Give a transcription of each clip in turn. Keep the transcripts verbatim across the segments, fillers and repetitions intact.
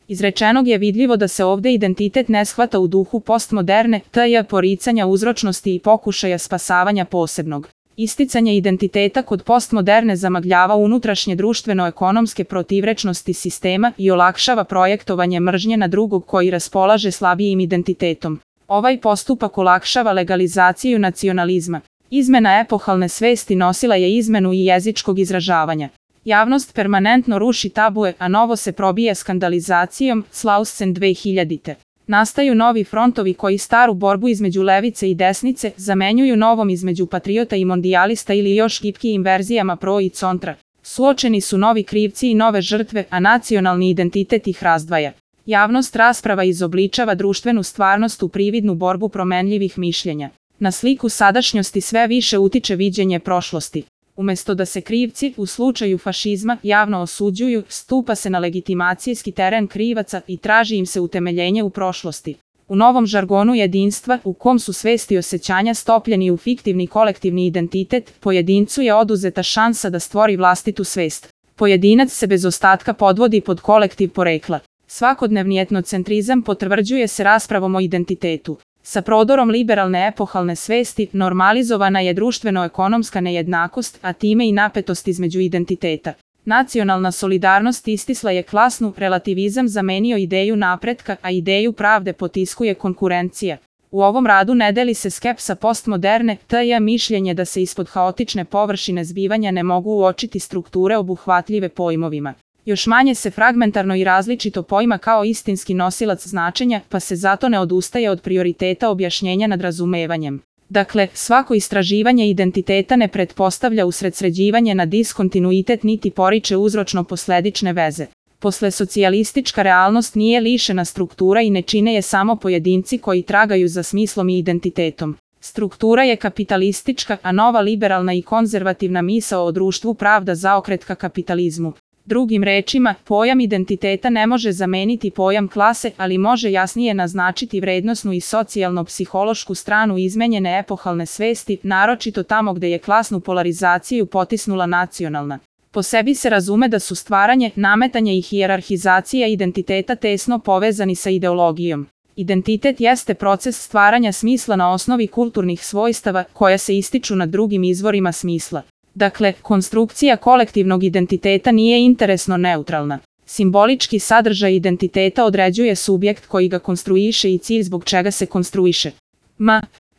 Izrečenog je vidljivo da se ovde identitet ne shvata u duhu postmoderne, tj. poricanja uzročnosti i pokušaja spasavanja posebnog. Isticanje identiteta kod postmoderne zamagljava unutrašnje društveno-ekonomske protivrečnosti sistema i olakšava projektovanje mržnje na drugog koji raspolaže slabijim identitetom. Ovaj postupak olakšava legalizaciju nacionalizma. Izmena epohalne svesti nosila je izmenu i jezičkog izražavanja. Javnost permanentno ruši tabue, a novo se probija skandalizacijom, Slausen dve hiljadite. Nastaju novi frontovi koji staru borbu između levice i desnice zamenjuju novom između patriota i mondijalista ili još gipkijim verzijama pro i contra. Suočeni su novi krivci i nove žrtve, a nacionalni identitet ih razdvaja. Javnost rasprava izobličava društvenu stvarnost u prividnu borbu promenljivih mišljenja. Na sliku sadašnjosti sve više utiče viđenje prošlosti. Umesto da se krivci, u slučaju fašizma, javno osuđuju, stupa se na legitimacijski teren krivaca i traži im se utemeljenje u prošlosti. U novom žargonu jedinstva, u kom su svesti i osjećanja stopljeni u fiktivni kolektivni identitet, pojedincu je oduzeta šansa da stvori vlastitu svest. Pojedinac se bez ostatka podvodi pod kolektiv porekla. Svakodnevni etnocentrizam potvrđuje se raspravom o identitetu. Sa prodorom liberalne epohalne svesti normalizovana je društveno-ekonomska nejednakost, a time i napetost između identiteta. Nacionalna solidarnost istisla je klasnu, relativizam zamenio ideju napretka, a ideju pravde potiskuje konkurencija. U ovom radu ne deli se skepsa postmoderne, tj. mišljenje da se ispod haotične površine zbivanja ne mogu uočiti strukture obuhvatljive pojmovima. Još manje se fragmentarno i različito poima kao istinski nosilac značenja, pa se zato ne odustaje od prioriteta objašnjenja nad razumevanjem. Dakle, svako istraživanje identiteta ne pretpostavlja usredsređivanje na diskontinuitet niti poriče uzročno-posledične veze. Posle socijalistička realnost nije lišena struktura i ne čine je samo pojedinci koji tragaju za smislom i identitetom. Struktura je kapitalistička, a nova liberalna i konzervativna misao o društvu pravda zaokret ka kapitalizmu. Drugim rečima, pojam identiteta ne može zameniti pojam klase, ali može jasnije naznačiti vrednosnu i socijalno-psihološku stranu izmenjene epohalne svesti, naročito tamo gde je klasnu polarizaciju potisnula nacionalna. Po sebi se razume da su stvaranje, nametanje i hijerarhizacija identiteta tesno povezani sa ideologijom. Identitet jeste proces stvaranja smisla na osnovi kulturnih svojstava koja se ističu na drugim izvorima smisla. Dakle, konstrukcija kolektivnog identiteta nije interesno neutralna. Simbolički sadržaj identiteta određuje subjekt koji ga konstruiše i cilj zbog čega se konstruiše. M.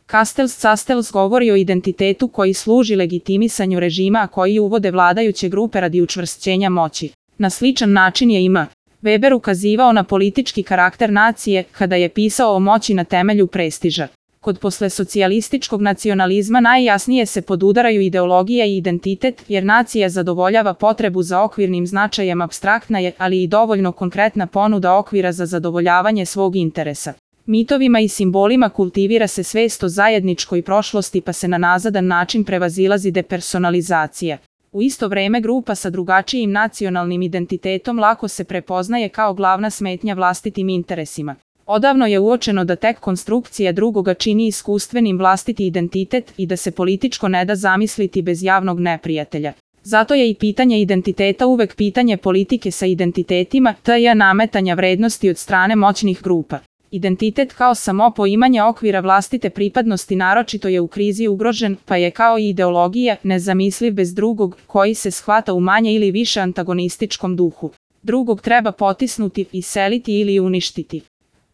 Castells-Castells govori o identitetu koji služi legitimisanju režima, a koji uvode vladajuće grupe radi učvršćenja moći. Na sličan način je i M. Weber ukazivao na politički karakter nacije kada je pisao o moći na temelju prestiža. Kod poslesocijalističkog nacionalizma najjasnije se podudaraju ideologija i identitet, jer nacija zadovoljava potrebu za okvirnim značajem apstraktna je, ali i dovoljno konkretna ponuda okvira za zadovoljavanje svog interesa. Mitovima i simbolima kultivira se svest o zajedničkoj prošlosti pa se na nazadan način prevazilazi depersonalizacija. U isto vreme grupa sa drugačijim nacionalnim identitetom lako se prepoznaje kao glavna smetnja vlastitim interesima. Odavno je uočeno da tek konstrukcija drugoga čini iskustvenim vlastiti identitet i da se političko ne da zamisliti bez javnog neprijatelja. Zato je i pitanje identiteta uvek pitanje politike sa identitetima, tj. nametanja vrednosti od strane moćnih grupa. Identitet kao samo poimanje okvira vlastite pripadnosti naročito je u krizi ugrožen, pa je kao i ideologija nezamisliv bez drugog, koji se shvata u manje ili više antagonističkom duhu. Drugog treba potisnuti, iseliti ili uništiti.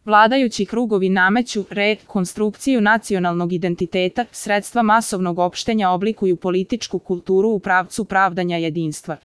Vladajući krugovi nameću rekonstrukciju nacionalnog identiteta, sredstva masovnog opštenja oblikuju političku kulturu u pravcu pravdanja jedinstva.